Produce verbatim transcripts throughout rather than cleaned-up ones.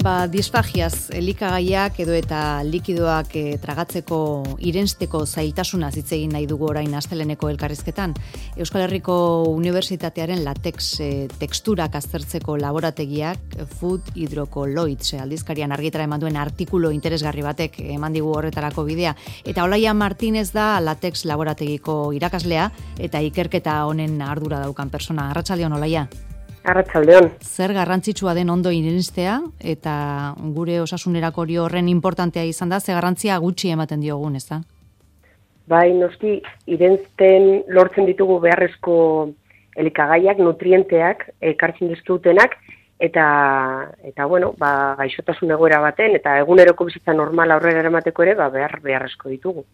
Ba, disfagiaz, elikagaiak edo eta likidoak e, tragatzeko irensteko zailtasunaz hitz egin nahi dugu orain asteleneko elkarrizketan. Euskal Herriko Unibertsitatearen latex e, teksturak aztertzeko laborategiak Food Hydrocolloids aldizkarian argitara eman duen artikulu interesgarri batek eman digu horretarako bidea. Eta Olaia Martínez da latex laborategiko irakaslea eta ikerketa honen ardura daukan persona. Arratsaldeon, Olaia. Arratsaldeon. Zer garrantzitsua den ondo irenstea eta gure osasunerako hori horren importantea izan da, ze garrantzia gutxi ematen diogun, ezta? Bai, noski, irensten lortzen ditugu beharrezko elikagaiak, nutrienteak, ekartzen dizkigutenak, eta, eta bueno, ba, gaixotasun egoera baten, eta eguneroko bizitza normala aurrera eramateko ere, ba, behar, beharrezko ditugu.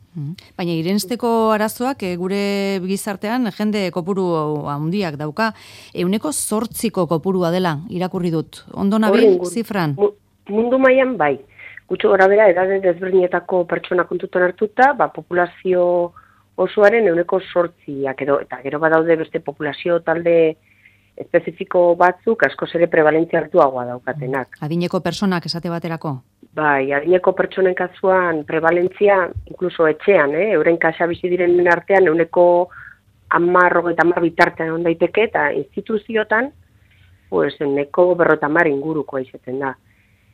Baina irensteko arazoak e, gure gizartean jende kopuru handiak dauka, euneko zortziko kopurua dela, irakurri dut. Ondo nabil, zifran? Mundu mailan bai. Gutxo gora bera, edade desberdinetako pertsona kontutan hartuta, ba, populazio osoaren euneko zortziak edo, eta gero badaude beste populazio talde espezifiko batzuk askoz ere prevalentzia hartuagoa daukatenak. Adineko personak esate baterako? Bai, adineko pertsonen kasuan prevalentzia, inkluso etxean, eh? euren kasa bizi direnen artean, euneko amarro eta amar bitartean on daiteke, eta instituziotan, pues, euneko berrota amar ingurukoa izaten da,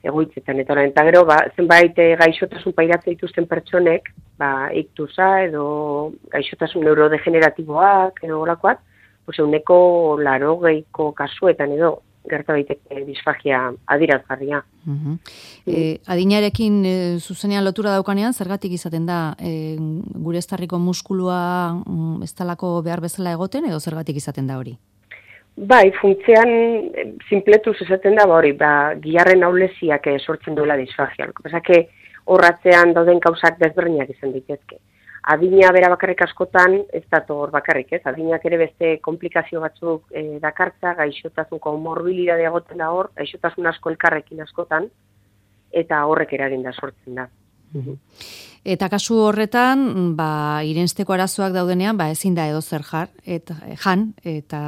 egoitzetan. Eta, eta gero, ba, zenbait gaixotasun pairatzen dituzten pertsonek, ba, iktusa edo gaixotasun neurodegeneratiboak, edo olakoak, pues, euneko larogeiko kasuetan edo, gerta daiteke disfagia adirazgarria. Uh-huh. E, adinarekin e, zuzenean lotura daukanean, zergatik izaten da e, gure estarriko muskulua mm, ez talako behar bezala egoten, edo zergatik izaten da hori? Bai, funtzean sinpletuz esaten da, ba hori, ba, giharren ahuleziak sortzen duela disfagia. Pesake horratzean dauden kausak desberdinak izan daitezke. Adina bera bakarrik askotan, ez dator bakarrik, ez? Adinak ere beste komplikazio batzuk e, dakartza, gaixotasun komorbilidadea egoten da hor, gaixotasun asko elkarrekin askotan, eta horrek eraginda sortzen da. Eta kasu horretan, ba, irensteko arazoak daudenean, ba, ezin da edo zer jar, eta, jan, eta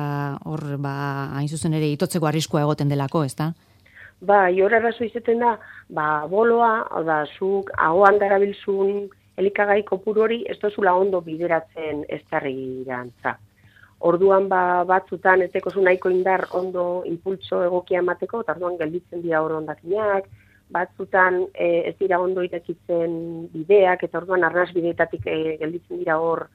hor, ba, hain zuzen ere itotzeko arriskua egoten delako, ez da? Ba, hor arazo izaten da, ba, boloa, hau da, zuk ahoan darabilzun elikagai kopuru hori ez dozula ondo bideratzen estarrirantza. Orduan ba, batzutan ez dekozu nahiko indar ondo impultso egokia emateko, eta orduan gelditzen dira hor ondakinak, batzutan e, ez dira ondo irekitzen bideak, eta orduan arnaz bideetatik e, gelditzen dira hor,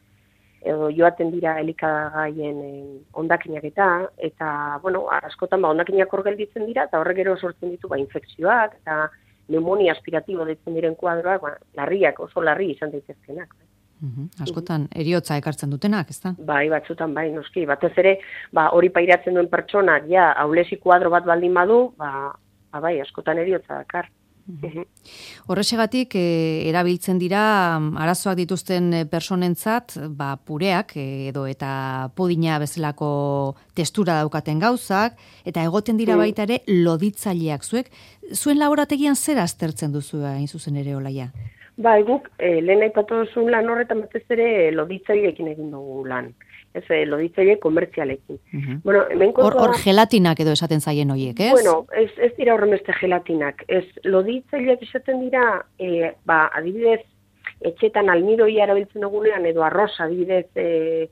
edo joaten dira elikagaien e, ondakinak eta, eta, bueno, askotan ba, ondakinak hor gelditzen dira, eta horrek gero sortzen ditu ba, infekzioak, eta pneumonia aspiratibo deitzen diren kuadroak, ba, larriak, oso larri izan daitezkenak. Uh-huh. Askotan, eriotza ekartzen dutenak, ez da? Bai, batzutan, bai, noski. Batez ere, ba, hori pairatzen duen pertsonak, ja, aulesi kuadro bat baldin badu, ba, ba bai, askotan eriotza dakar. Uh-huh. Horrexegatik, e, erabiltzen dira arazoak dituzten personentzat, ba, pureak edo eta pudina bezalako testura daukaten gauzak, eta egoten dira baita ere loditzaileak. Zuek, zuen laborategian zer aztertzen duzu hain zuzen ere, Olaia? Ba, guk, e, lehen aipatu duzun lan horretan batez ere loditzaileekin egin dugu lan. Ez, loditzaile komertzialekin. Uh-huh. Bueno, hemen hor, hor gelatinak edo esaten zaien horiek, ez? Bueno, ez, ez dira horren beste gelatinak. Ez, loditzaileak esaten dira, e, ba, adibidez, etxetan almidoia erabiltzen dugunean, edo arroz, adibidez, e,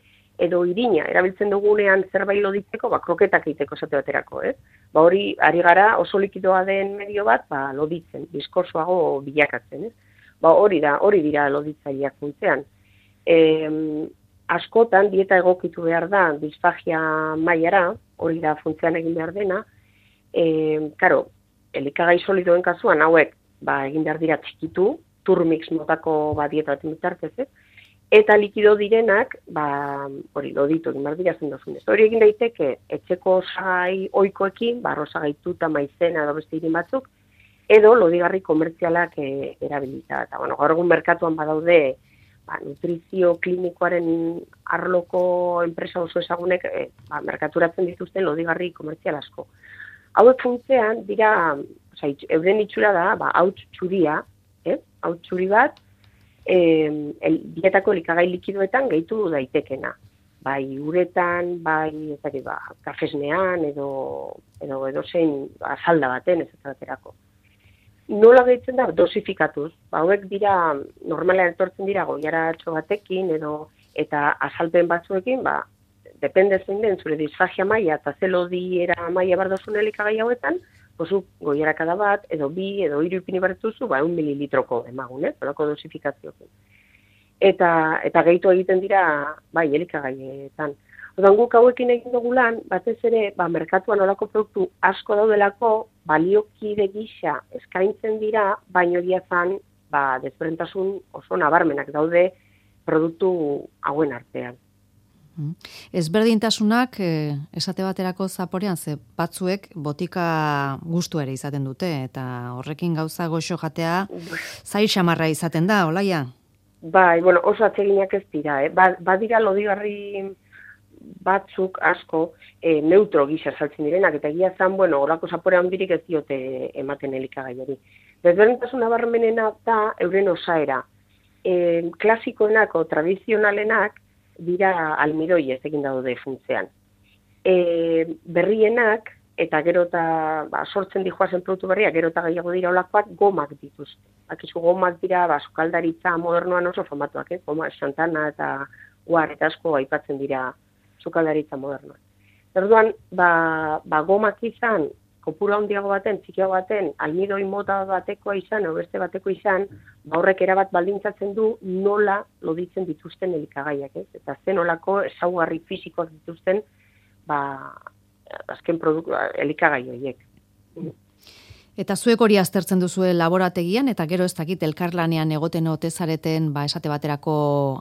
edo irina erabiltzen dugunean zerbait loditzeko, ba, kroketak egiteko esate baterako, ez? Ba, hori, ari gara oso likidoa den medio bat, ba, loditzen, biskosoago bilakatzen, ez? Ba, hori da, hori dira loditzaileak funtzean. E, askotan, dieta egokitu behar da, disfagia mailara, hori da funtzean egin behar dena, e, karo, elikagai solidoen kasuan, hauek, ba, egin behar dira txikitu, turmix motako ba, dieta bat bitartez, ez? Eta likido direnak, ba, hori, loditu egin behar dira zendozunez. Hori egin daiteke, etxeko osagai oikoekin, ba, rosagaituta maizena edo beste irin batzuk, edo lodigarri komertzialak e, erabilita. Eta, bueno, gaur egun merkatuan badaude, ba, nutrizio klinikoaren arloko enpresa oso ezagunek e, ba, merkaturatzen dituzten lodigarri komertzial asko. Hauek funtzean dira, oza, euren itxura da, ba, hauts txuria, eh? hauts txuri bat, e, el, dietako elikagai likidoetan gehitu daitekena. Bai uretan, bai ezagik, ba, kafesnean, edo, edo, edo zein azalda baten, ez baterako. nola gehitzen da, dosifikatuz. Ba, hauek dira, normalean etortzen dira goiaratxo batekin, edo eta azalpen batzuekin, ba, depende zein den, zure disfagia maila eta zelodiera maila bardozun elikagai hauetan, pozu goiarakada bat, edo bi, edo hiru ipini bartuzu, ba, un mililitroko emagun, ez, horako dosifikazioekin. Eta, eta gehitu egiten dira, bai, elikagaietan. Odan guk hauekin egin dugu lan, batez ere, ba, merkatuan olako produktu asko daudelako, baliokide gisa eskaintzen dira, baino diazan, ba, desberdintasun oso nabarmenak daude produktu hauen artean. Ezberdintasunak, eh, esate baterako zaporean, ze batzuek botika gustu ere izaten dute, eta horrekin gauza goxo jatea zai xamarra izaten da, olaia? Bai, bueno, oso atseginak ez dira, eh? Ba, badira lodigarri batzuk asko e, neutro gisa saltzen direnak, eta egia zan, bueno, horako zapore handirik ez diote ematen elikagaiari. Desberdintasun nabarmenena da euren osaera. E, klasikoenak o tradizionalenak dira almidoiez egin daude funtzean. E, berrienak, eta gero eta ba, sortzen dijoazen produktu berriak, gero eta gehiago dira olakoak gomak dituzte. Akizu gomak dira, ba, sukaldaritza modernoan oso famatuak, eh? Goma, Santana eta Guar eta asko aipatzen dira sukaldaritza modernoan. Orduan, ba, ba gomak izan, kopura handiago baten, txikiago baten, almidoi mota batekoa izan, o beste bateko izan, ba horrek erabat baldintzatzen du nola loditzen dituzten elikagaiak, ez? Eta zen olako ezaugarri fisikoak dituzten, ba, azken produktu, elikagai horiek. Eta zuek hori aztertzen duzue laborategian, eta gero ez dakit elkarlanean egoten ote zareten, ba, esate baterako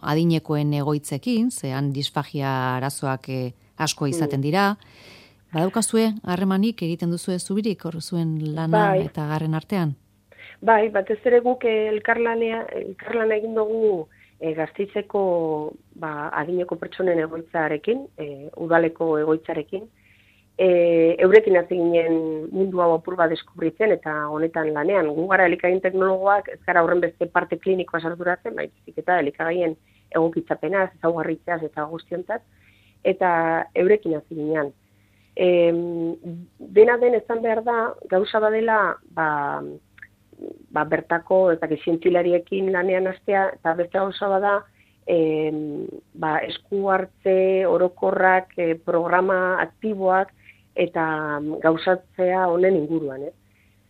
adinekoen egoitzekin, zehan disfagia arazoak eh, asko izaten dira. Badaukazue harremanik egiten duzue zubirik, hor zuen lana bai. Eta garren artean? Bai, batez ere guk elkarlanea, elkarlana egin dugu e, Gasteizeko ba, adineko pertsonen egoitzarekin, e, udaleko egoitzarekin, E, eurekin hasi ginen mundu hau apur bat deskubritzen eta honetan lanean. Gu gara elikagaien teknologoak, ez gara horren beste parte klinikoa sarturatzen, baizik eta elikagaien egokitzapenaz, ezaugarritzeaz eta guztiontzat, eta eurekin hasi ginen. E, dena den ezan behar da, gauza badela, ba, ba bertako, eta zientzilariekin lanean hastea, eta beste gauza bada, E, ba, esku hartze orokorrak, e, programa aktiboak eta gauzatzea honen inguruan. Eh?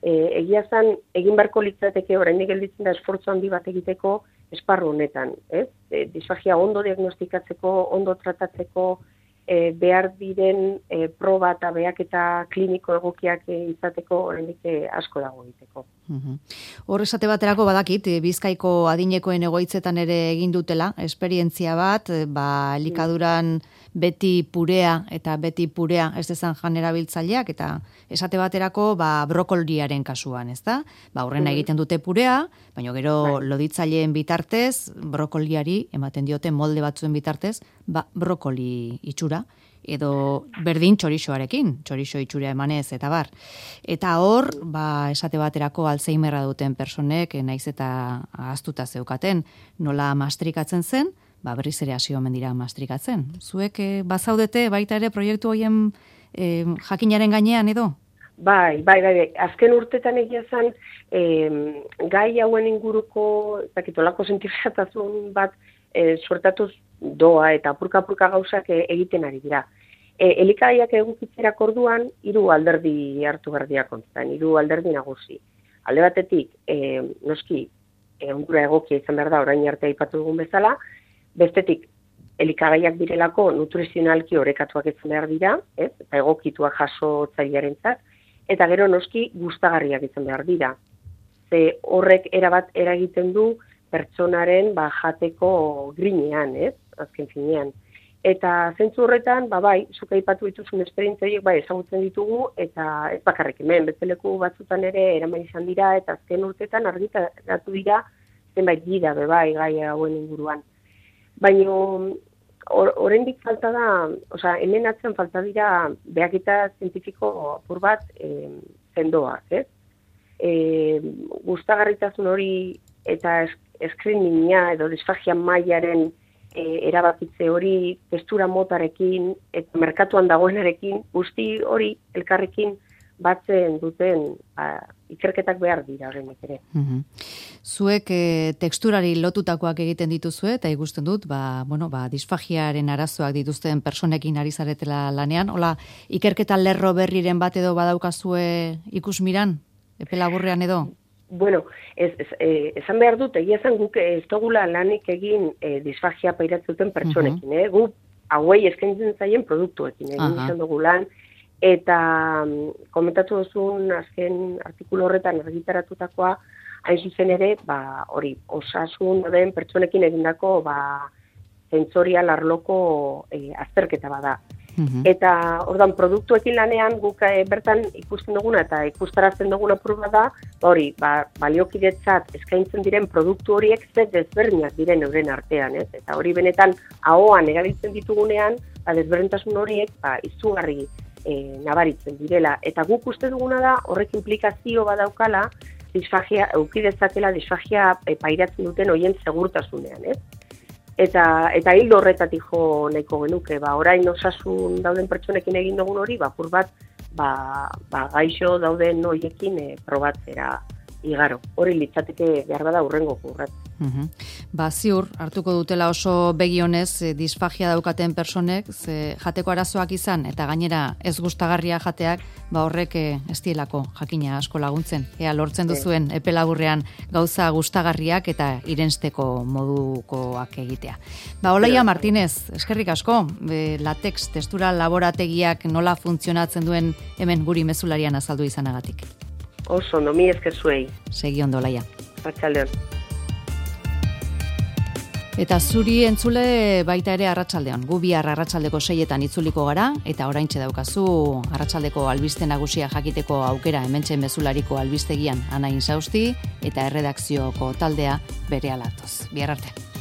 E, egia zan, egin beharko litzateke oraindik gelditzen da esfortzu handi bat egiteko esparru honetan. Ez? E, disfagia ondo diagnostikatzeko, ondo tratatzeko, e, behar diren e, proba eta behaketa kliniko egokiak e, izateko oraindik e, asko dago egiteko. Uhum. Hor esate baterako badakit, Bizkaiko adinekoen egoitzetan ere egin dutela, esperientzia bat, ba, elikaduran beti purea eta beti purea ez dezan jan erabiltzaileak, eta esate baterako ba, brokoliaren kasuan, ez da? Ba, horrena egiten dute purea, baina gero bai. Loditzaileen bitartez, brokoliari ematen diote molde batzuen bitartez, ba, brokoli itxura, edo berdin txorixoarekin, txorixo itxura emanez eta bar. Eta hor, ba, esate baterako Alzheimerra duten personek, naiz eta ahaztuta zeukaten, nola mastrikatzen zen, ba, berriz ere hasi omen dira mastrikatzen. Zuek eh, bazaudete baita ere proiektu horien eh, jakinaren gainean edo? Bai, bai, bai, bai. Azken urtetan egia zen, eh, gai hauen inguruko, zakitolako sentirzatasun bat, eh, suertatuz doa eta apurka-apurka gauzak egiten ari dira. E, elikagaiak egukitzerak orduan, hiru alderdi hartu berdia kontutan, hiru alderdi nagusi. Alde batetik, e, noski, egura egokia izan behar da, orain arte aipatu dugun bezala, bestetik, elikagaiak direlako nutrizionalki orekatuak izan behar dira, ez? Eta egokituak jasotzailearentzat, eta gero noski gustagarriak izan behar dira. Ze horrek erabat eragiten du pertsonaren ba, jateko grinean, ez? Azken finean. Eta zentzu horretan, ba bai, zuk aipatu dituzun esperientzia horiek bai ezagutzen ditugu, eta ez bakarrik hemen, bezaleku batzutan ere eraman izan dira, eta azken urtetan argitaratu dira zenbait gida be bai gai hauen inguruan. Baina oraindik falta da, osea, hemen atzen falta dira behaketa zientifiko apur bat e, sendoak, ez? E, gustagarritasun hori eta screeninga edo disfagia mailaren E, erabakitze hori, testura motarekin, eta merkatuan dagoenarekin, guzti hori elkarrekin batzen duten ba, ikerketak behar dira horrenik ere. Mm-hmm. Zuek e, teksturari lotutakoak egiten dituzue, eta ikusten dut, ba, bueno, ba, disfagiaren arazoak dituzten personekin ari zaretela lanean. Hola, ikerketa lerro berriren bat edo badaukazue ikusmiran, epe laburrean edo? Bueno, ez, ez, eh, esan behar dut, egia zen guk ez dugula lanik egin eh, disfagia pairatzen pertsonekin, uh-huh. eh? Gu hauei eskaintzen zaien produktuekin egin uh-huh. izan dugu lan, eta um, komentatu duzun azken artikulu horretan argitaratutakoa, hain zuzen ere, ba, hori, osasun den pertsonekin egindako ba, sentsorial arloko eh, azterketa bada. Uh-huh. Eta ordan produktuekin lanean guk e, bertan ikusten duguna eta ikustarazten duguna proba da, hori, ba, baliokidetzat eskaintzen diren produktu horiek ze desberdinak diren euren artean, ez? Eta hori benetan ahoan erabiltzen ditugunean, ba, desberdintasun horiek ba, izugarri e, nabaritzen direla. Eta guk uste duguna da horrek implikazio badaukala disfagia, eukidezakela disfagia e, pairatzen duten horien segurtasunean, ez? Eta eta hildo horretatik jo nahiko genuke, ba orain osasun dauden pertsonekin egin dugun hori, ba pur bat ba, ba gaixo dauden hoiekin e, probatzera igaro. Hori litzateke behar bada hurrengo urrat. Uh-huh. Ba ziur hartuko dutela oso begionez e, disfagia daukaten personek, ze jateko arazoak izan eta gainera ez gustagarria jateak, ba horrek e, ez dielako jakina asko laguntzen. Ea lortzen duzuen epe laburrean gauza gustagarriak eta irensteko modukoak egitea. Ba Olaia Martínez, eskerrik asko, e, latex testura laborategiak nola funtzionatzen duen hemen guri mezularian azaldu izanagatik. Oso, no mi esker zuei. Segi ondo, Olaia. Arratsaldeon. Eta zuri entzule baita ere arratsaldeon. Gu bihar arratsaldeko seietan itzuliko gara, eta oraintxe daukazu arratsaldeko albiste nagusia jakiteko aukera hementxe mezulariko albistegian Ana Insausti eta erredakzioko taldea berehala datoz. Bihar arte.